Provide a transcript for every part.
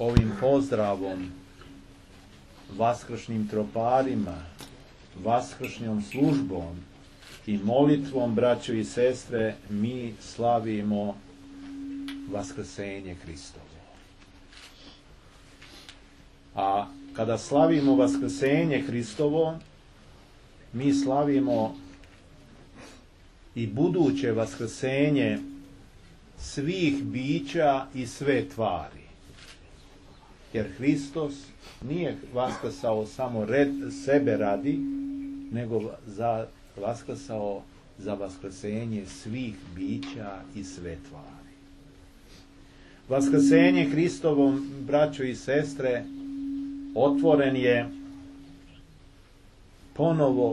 ovim pozdravom, vaskršnjim troparima, vaskršnjom službom i molitvom, braćo i sestre, mi slavimo vaskrsenje Hristovo. A kada slavimo vaskrsenje Hristovo, mi slavimo i buduće vaskrsenje svih bića i sve tvari. Jer Hristos nije vaskrsao samo sebe radi, nego vaskrsao za vaskrsenje svih bića i sve tvari. Vaskrsenje Hristovom, braćo i sestre,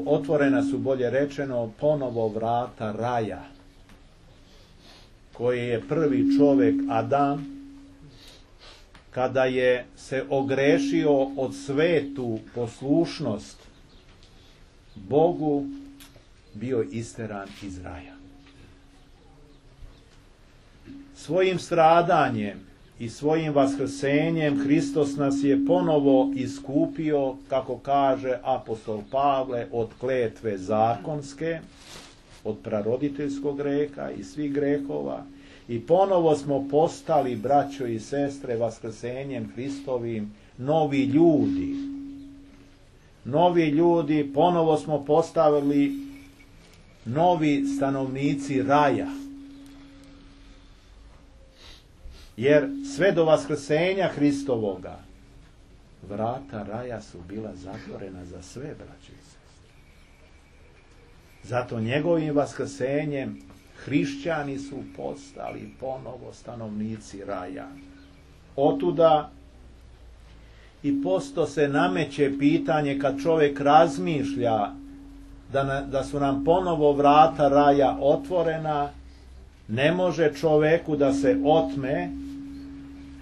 otvorena su, bolje rečeno, ponovo vrata raja, koje je prvi čovjek Adam, kada je se ogrešio od svetu poslušnost Bogu, bio isteran iz raja. Svojim stradanjem i svojim vaskrsenjem Hristos nas je ponovo iskupio, kako kaže apostol Pavle, od kletve zakonske, od praroditeljskog greha i svih grehova, i ponovo smo postali, braćo i sestre, vaskrsenjem Hristovim novi ljudi. Novi ljudi, ponovo smo postavili novi stanovnici raja. Jer sve do vaskrsenja Hristovoga vrata raja su bila zatvorena za sve, braćo i sestre. Zato njegovim vaskrsenjem hrišćani su postali ponovo stanovnici raja. Otuda i posto se nameće pitanje, kad čovjek razmišlja da su nam ponovo vrata raja otvorena, ne može čovjeku da se otme,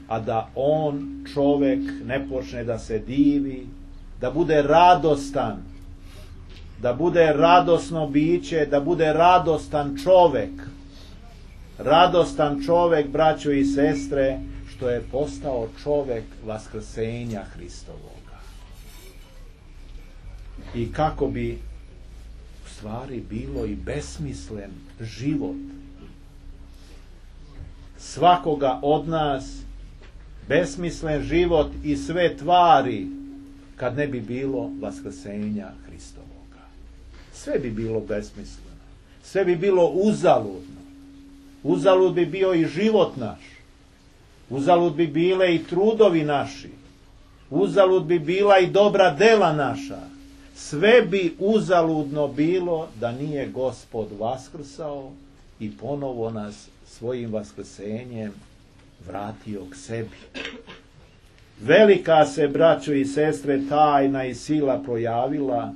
a da on, čovjek, ne počne da se divi, da bude radostan, da bude radosno biće, da bude radostan čovjek. Radostan čovjek, braćo i sestre, što je postao čovjek vaskrsenja Hristovoga. I kako bi u stvari bilo i besmislen život svakoga od nas, besmislen život i sve tvari, kad ne bi bilo vaskrsenja Hristovoga. Sve bi bilo besmisleno. Sve bi bilo uzaludno. Uzalud bi bio i život naš. Uzalud bi bile i trudovi naši. Uzalud bi bila i dobra dela naša. Sve bi uzaludno bilo da nije Gospod vaskrsao i ponovo nas svojim vaskrsenjem vratio k sebi. Velika se, braćo i sestre, tajna i sila projavila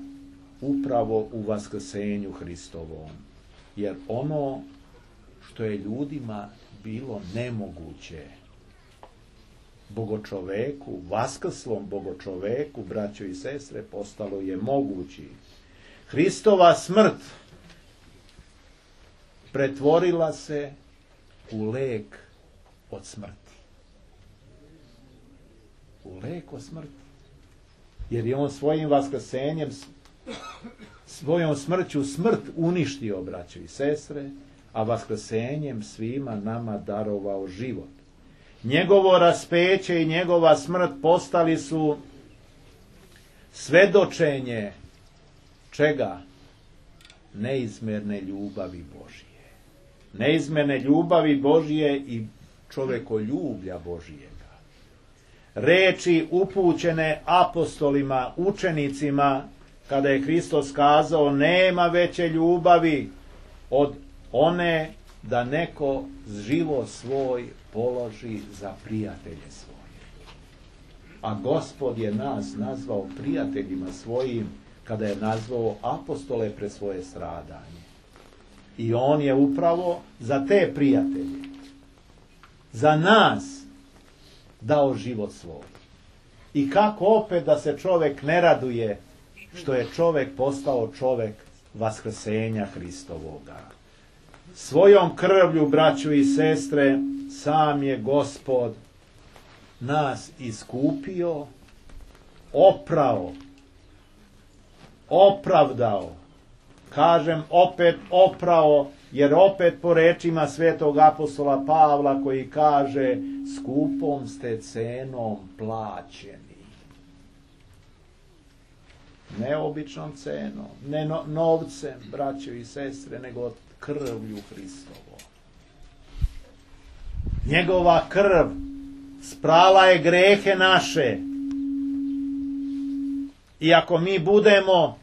upravo u vaskrsenju Hristovom. Jer ono što je ljudima bilo nemoguće, bogočoveku, vaskrslom bogočoveku, braćo i sestre, postalo je mogući. Hristova smrt pretvorila se u lek od smrti. U lek od smrti. Jer je on svojim vaskrsenjem, svojom smrću smrt uništio, braćo i sestre, a vaskrsenjem svima nama darovao život. Njegovo raspeće i njegova smrt postali su svedočenje čega? Neizmjerne ljubavi Božije. Neizmjerne ljubavi Božije i čovekoljublja Božijega. Reči upućene apostolima, učenicima, kada je Hristos kazao: nema veće ljubavi od one da neko život svoj položi za prijatelje svoje. A Gospod je nas nazvao prijateljima svojim kada je nazvao apostole pred svoje stradanje. I on je upravo za te prijatelje, za nas, dao život svoj. I kako opet da se čovjek ne raduje što je čovjek postao čovjek vaskrsenja Hristovoga. Svojom krvlju, braćo i sestre, sam je Gospod nas iskupio, oprao, opravdao. Kažem opet oprao, jer opet po rečima svetog apostola Pavla koji kaže skupom ste cenom plaćeni. Ne običnom cenom, ne novcem, braćo i sestre, nego krvlju Hristovom. Njegova krv sprala je grehe naše. I ako mi budemo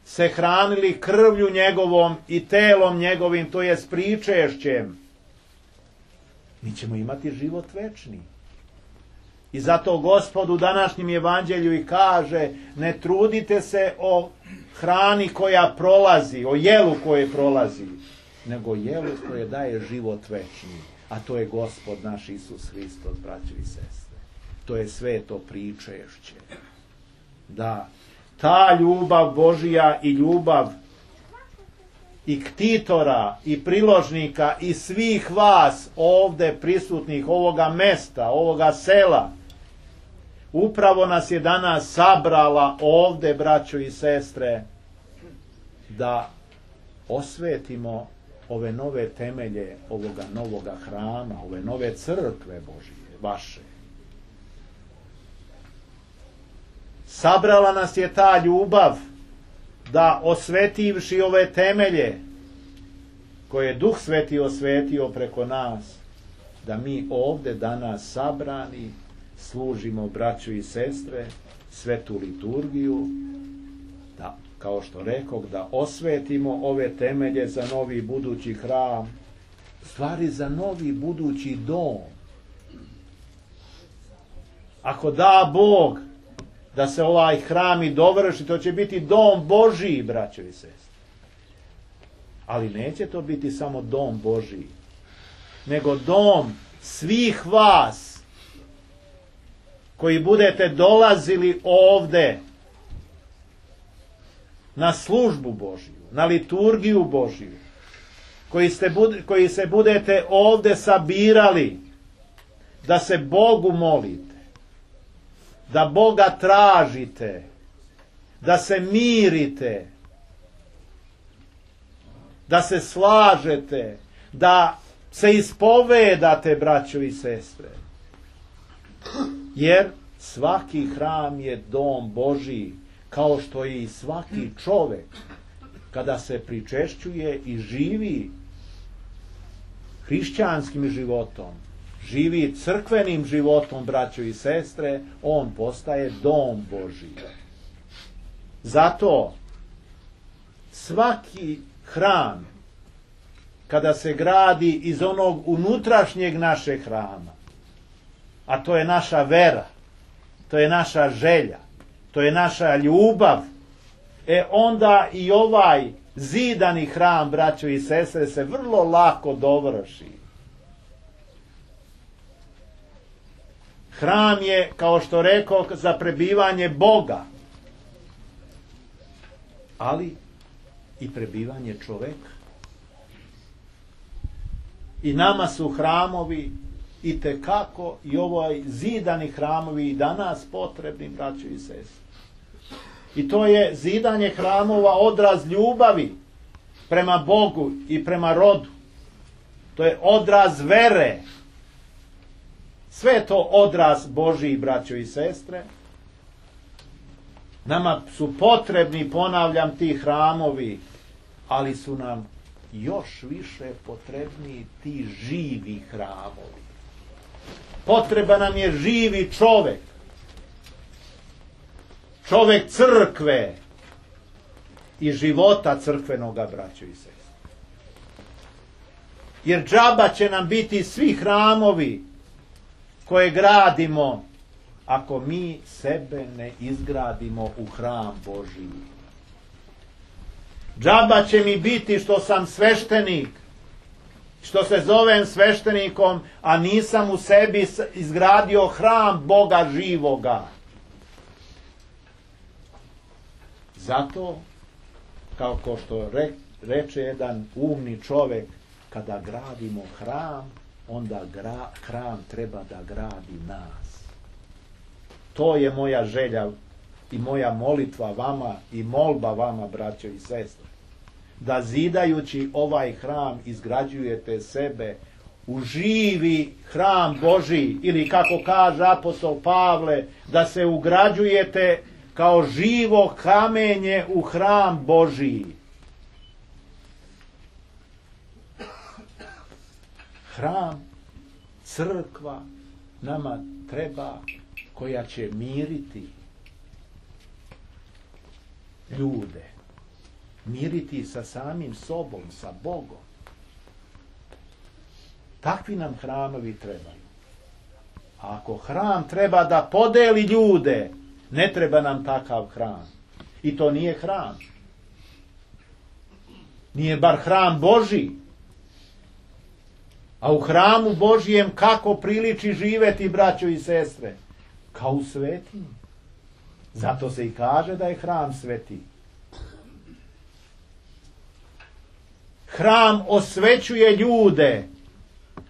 se hranili krvlju njegovom i telom njegovim, to je s pričešćem, mi ćemo imati život večni. I zato Gospod u današnjem evanđelju i kaže, ne trudite se o hrani koja prolazi, o jelu koje prolazi, nego jelu koje daje život večni. A to je Gospod naš Isus Hristos, braćo i sestre. To je sveto pričešće. Da, ta ljubav Božija i ljubav i ktitora i priložnika i svih vas ovde prisutnih, ovoga mesta, ovoga sela, upravo nas je danas sabrala ovde, braćo i sestre, da osvetimo ove nove temelje ovoga novoga hrama, ove nove crkve Božije, vaše. Sabrala nas je ta ljubav da osvetivši ove temelje koje je Duh Sveti osvetio preko nas, da mi ovde danas sabrani služimo, braćo i sestre, svetu liturgiju, da, kao što rekoh, da osvetimo ove temelje za novi budući hram, stvari za novi budući dom. Ako da Bog da se ovaj hram i dovrši, to će biti dom Božiji, braćo i sestre. Ali neće to biti samo dom Božiji, nego dom svih vas koji budete dolazili ovde na službu Božiju, na liturgiju Božiju, koji se budete ovde sabirali da se Bogu molite, da Boga tražite, da se mirite, da se slažete, da se ispovedate, braćo i sestre. Jer svaki hram je dom Božiji, kao što je i svaki čovek, kada se pričešćuje i živi hrišćanskim životom, živi crkvenim životom, braćo i sestre, on postaje dom Božiji. Zato svaki hram, kada se gradi iz onog unutrašnjeg našeg hrama, a to je naša vera, to je naša želja, to je naša ljubav, onda i ovaj zidani hram, braćo i sestre, se vrlo lako dovrši. Hram je, kao što rekao, za prebivanje Boga, ali i prebivanje čoveka. I nama su hramovi itekako i ovaj zidani hramovi i danas potrebni, braćo i sestre. I to je zidanje hramova odraz ljubavi prema Bogu i prema rodu. To je odraz vere. Sve je to odraz Božiji, braćo i sestre. Nama su potrebni, ponavljam, ti hramovi, ali su nam još više potrebni ti živi hramovi. Potreba nam je živi čovek. Čovek crkve i života crkvenoga, braćo i sestre. Jer džaba će nam biti svi hramovi koje gradimo, ako mi sebe ne izgradimo u hram Božiji. Džaba će mi biti što sam sveštenik, što se zovem sveštenikom, a nisam u sebi izgradio hram Boga živoga. Zato, kao što reče jedan umni čovek, kada gradimo hram, onda hram treba da gradi nas. To je moja želja i moja molitva vama i molba vama, braćo i sestre. Da zidajući ovaj hram izgrađujete sebe u živi hram Božji, ili kako kaže apostol Pavle, da se ugrađujete kao živo kamenje u hram Božji. Hram, crkva nama treba, koja će miriti ljude, miriti sa samim sobom, sa Bogom. Takvi nam hramovi trebaju. A ako hram treba da podeli ljude, ne treba nam takav hram. I to nije hram. Nije bar hram Božji. A u hramu Božjem kako priliči živeti, braćo i sestre? Kao u svetinji. Zato se i kaže da je hram sveti. Hram osvećuje ljude,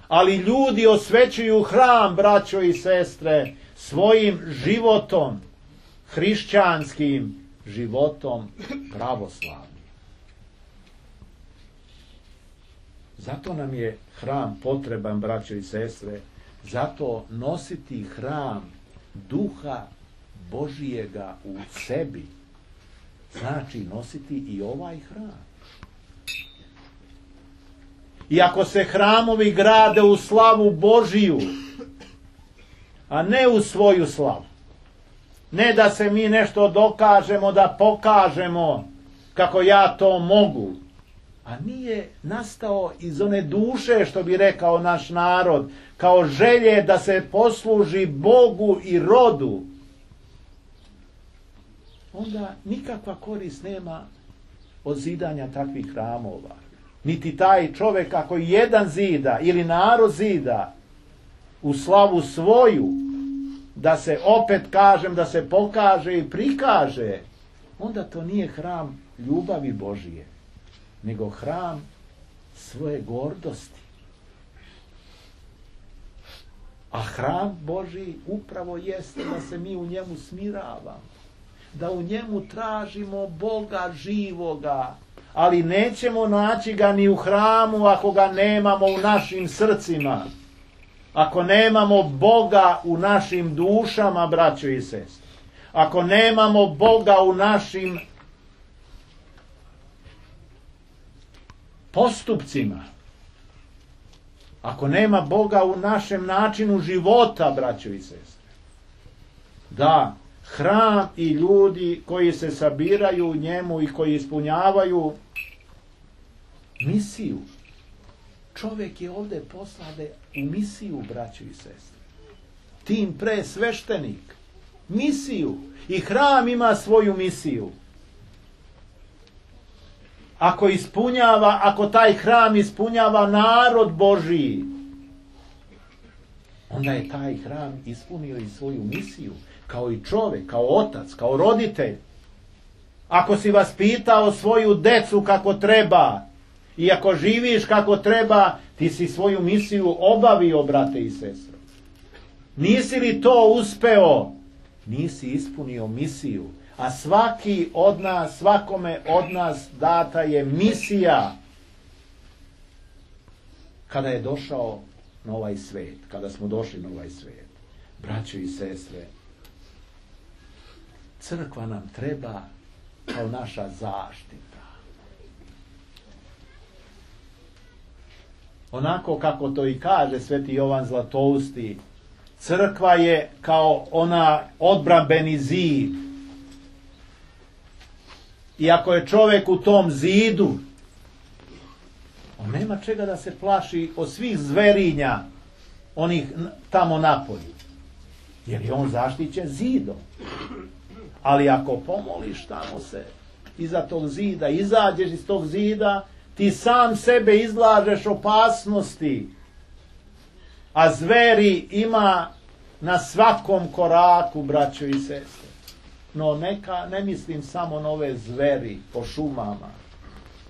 ali ljudi osvećuju hram, braćo i sestre, svojim životom, hrišćanskim životom pravoslavnim. Zato nam je hram potreban, braćo i sestre, zato nositi hram Duha Božijega u sebi znači nositi i ovaj hram. I ako se hramovi grade u slavu Božiju, a ne u svoju slavu, ne da se mi nešto dokažemo, da pokažemo kako ja to mogu, a nije nastao iz one duše, što bi rekao naš narod, kao želje da se posluži Bogu i rodu, onda nikakva korist nema od zidanja takvih hramova. Niti taj čovjek, ako jedan zida ili narod zida u slavu svoju, da se opet kažem, da se pokaže i prikaže, onda to nije hram ljubavi Božije, nego hram svoje gordosti. A hram Božji upravo jeste da se mi u njemu smiravamo, da u njemu tražimo Boga živoga, ali nećemo naći ga ni u hramu ako ga nemamo u našim srcima, ako nemamo Boga u našim dušama, braćo i sestre, ako nemamo Boga u našim postupcima, ako nema Boga u našem načinu života, braćo i sestre. Da, hram i ljudi koji se sabiraju u njemu i koji ispunjavaju misiju. Čovjek je ovdje poslan u misiju, braćo i sestre. Tim pre sveštenik. Misiju. I hram ima svoju misiju. Ako taj hram ispunjava narod Božiji, onda je taj hram ispunio i svoju misiju. Kao i čovjek, kao otac, kao roditelj. Ako si vaspitao svoju decu kako treba i ako živiš kako treba, ti si svoju misiju obavio, brate i sestre. Nisi li to uspeo? Nisi ispunio misiju. A svaki od nas, svakome od nas data je misija kada je došao na ovaj svijet, kada smo došli na ovaj svijet. Braćo i sestre, crkva nam treba kao naša zaštita. Onako kako to i kaže sveti Jovan Zlatousti, crkva je kao ona odbrambeni zid. I ako je čovjek u tom zidu, on nema čega da se plaši od svih zverinja, onih tamo napolju. Jer je on zaštićen zidom. Ali ako pomoliš tamo se iza tog zida, izađeš iz tog zida, ti sam sebe izlažeš opasnosti. A zveri ima na svakom koraku, braćo i sestre. No ne mislim samo na ove zveri po šumama,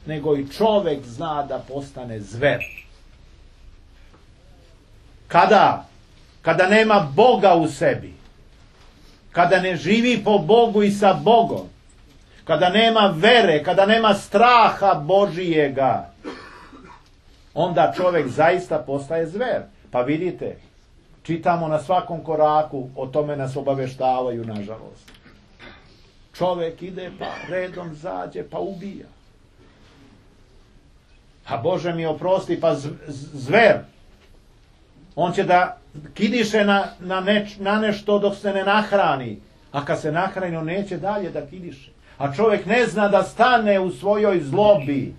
nego i čovjek zna da postane zver. Kada nema Boga u sebi. kada ne živi po Bogu i sa Bogom, kada nema vere, kada nema straha Božijega, onda čovjek zaista postaje zver. Pa vidite, čitamo na svakom koraku, o tome nas obaveštavaju, nažalost. Čovjek ide pa redom zađe pa ubija. A Bože mi oprosti, pa zver. On će da kidiše na nešto dok se ne nahrani. A kad se nahrani, on neće dalje da kidiše. A čovjek ne zna da stane u svojoj zlobi.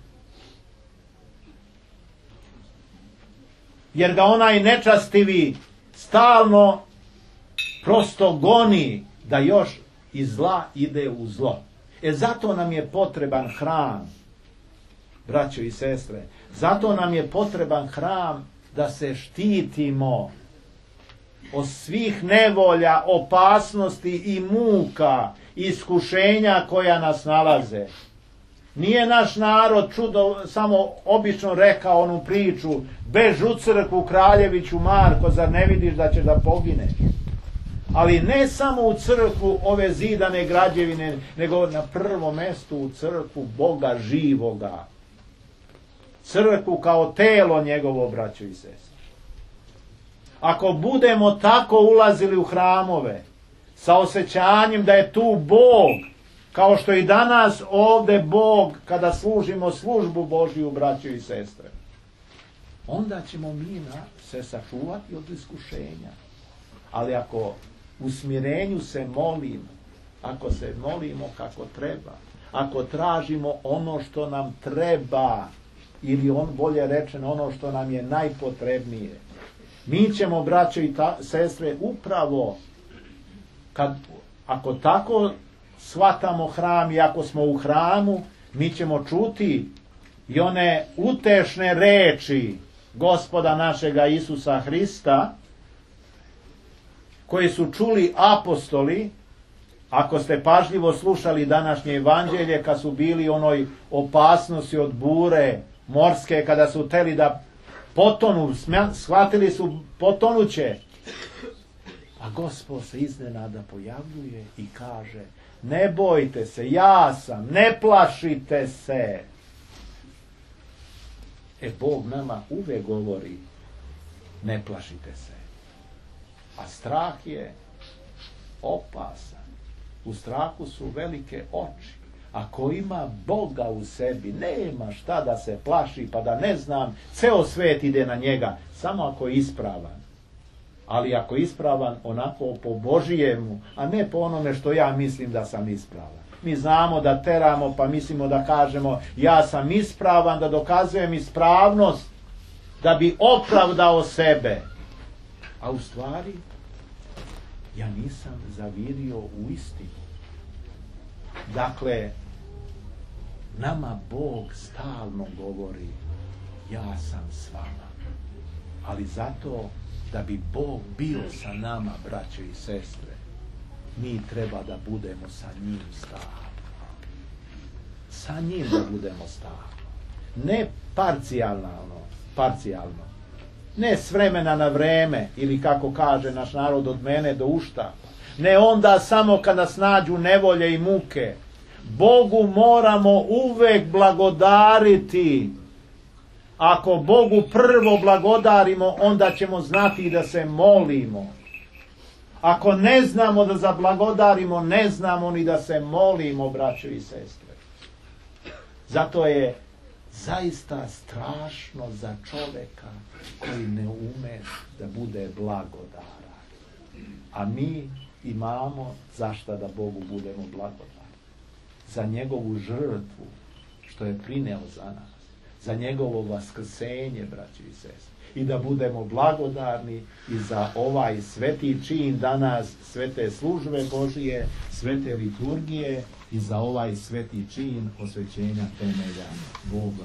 Jer ga onaj nečastivi stalno prosto goni da još iz zla ide u zlo. Zato nam je potreban hram, braćo i sestre. Zato nam je potreban hram da se štitimo od svih nevolja, opasnosti i muka, iskušenja koja nas nalaze. Nije naš narod čudo samo obično rekao onu priču: bež u crkvu, kraljeviću Marko, zar ne vidiš da ćeš da pogineš? Ali ne samo u crkvu ove zidane građevine, nego na prvom mjestu u crkvu Boga živoga. Crkvu kao telo njegovo, braćo i sestre. Ako budemo tako ulazili u hramove, sa osjećanjem da je tu Bog, kao što i danas ovdje Bog, kada služimo službu Božiju, braćo i sestre, onda ćemo mi se sačuvati od iskušenja. Ali ako u smirenju se molimo, ako se molimo kako treba, ako tražimo ono što nam treba, ili bolje rečeno ono što nam je najpotrebnije, mi ćemo, braćo i sestre, upravo ako tako shvatamo hram i ako smo u hramu, mi ćemo čuti i one utešne reči Gospoda našega Isusa Hrista, koji su čuli apostoli. Ako ste pažljivo slušali današnje evanđelje, kad su bili onoj opasnosti od bure morske, kada su hteli da potonu, shvatili su potonuće. A Gospod se iznenada pojavljuje i kaže: ne bojte se, ja sam, ne plašite se. Bog nama uvek govori: ne plašite se. A strah je opasan. U strahu su velike oči. Ako ima Boga u sebi, nema šta da se plaši, pa da ne znam, ceo svet ide na njega, samo ako je ispravan. Ali ako je ispravan onako po Božijemu, a ne po onome što ja mislim da sam ispravan. Mi znamo da teramo, pa mislimo da kažemo: ja sam ispravan, da dokazujem ispravnost, da bi opravdao sebe. A u stvari, ja nisam zavirio u istinu. Dakle, nama Bog stalno govori: ja sam s vama. Ali zato, da bi Bog bio sa nama, braćo i sestre, mi treba da budemo sa njim stalno. Sa njim da budemo stalno. Ne parcijalno. Ne s vremena na vreme, ili kako kaže naš narod, od mene do uštapa. Ne onda samo kad nas nađu nevolje i muke. Bogu moramo uvek blagodariti. Ako Bogu prvo blagodarimo, onda ćemo znati da se molimo. Ako ne znamo da zablagodarimo, ne znamo ni da se molimo, braćo i sestre. Zato je zaista strašno za čovjeka koji ne ume da bude blagodaran. A mi imamo zašta da Bogu budemo blagodarni. Za njegovu žrtvu što je prineo za nas. Za njegovo vaskrsenje, braći i sestre. I da budemo blagodarni i za ovaj sveti čin danas, svete službe Božije, svete liturgije, i za ovaj sveti čin osvećenja temelja Boga.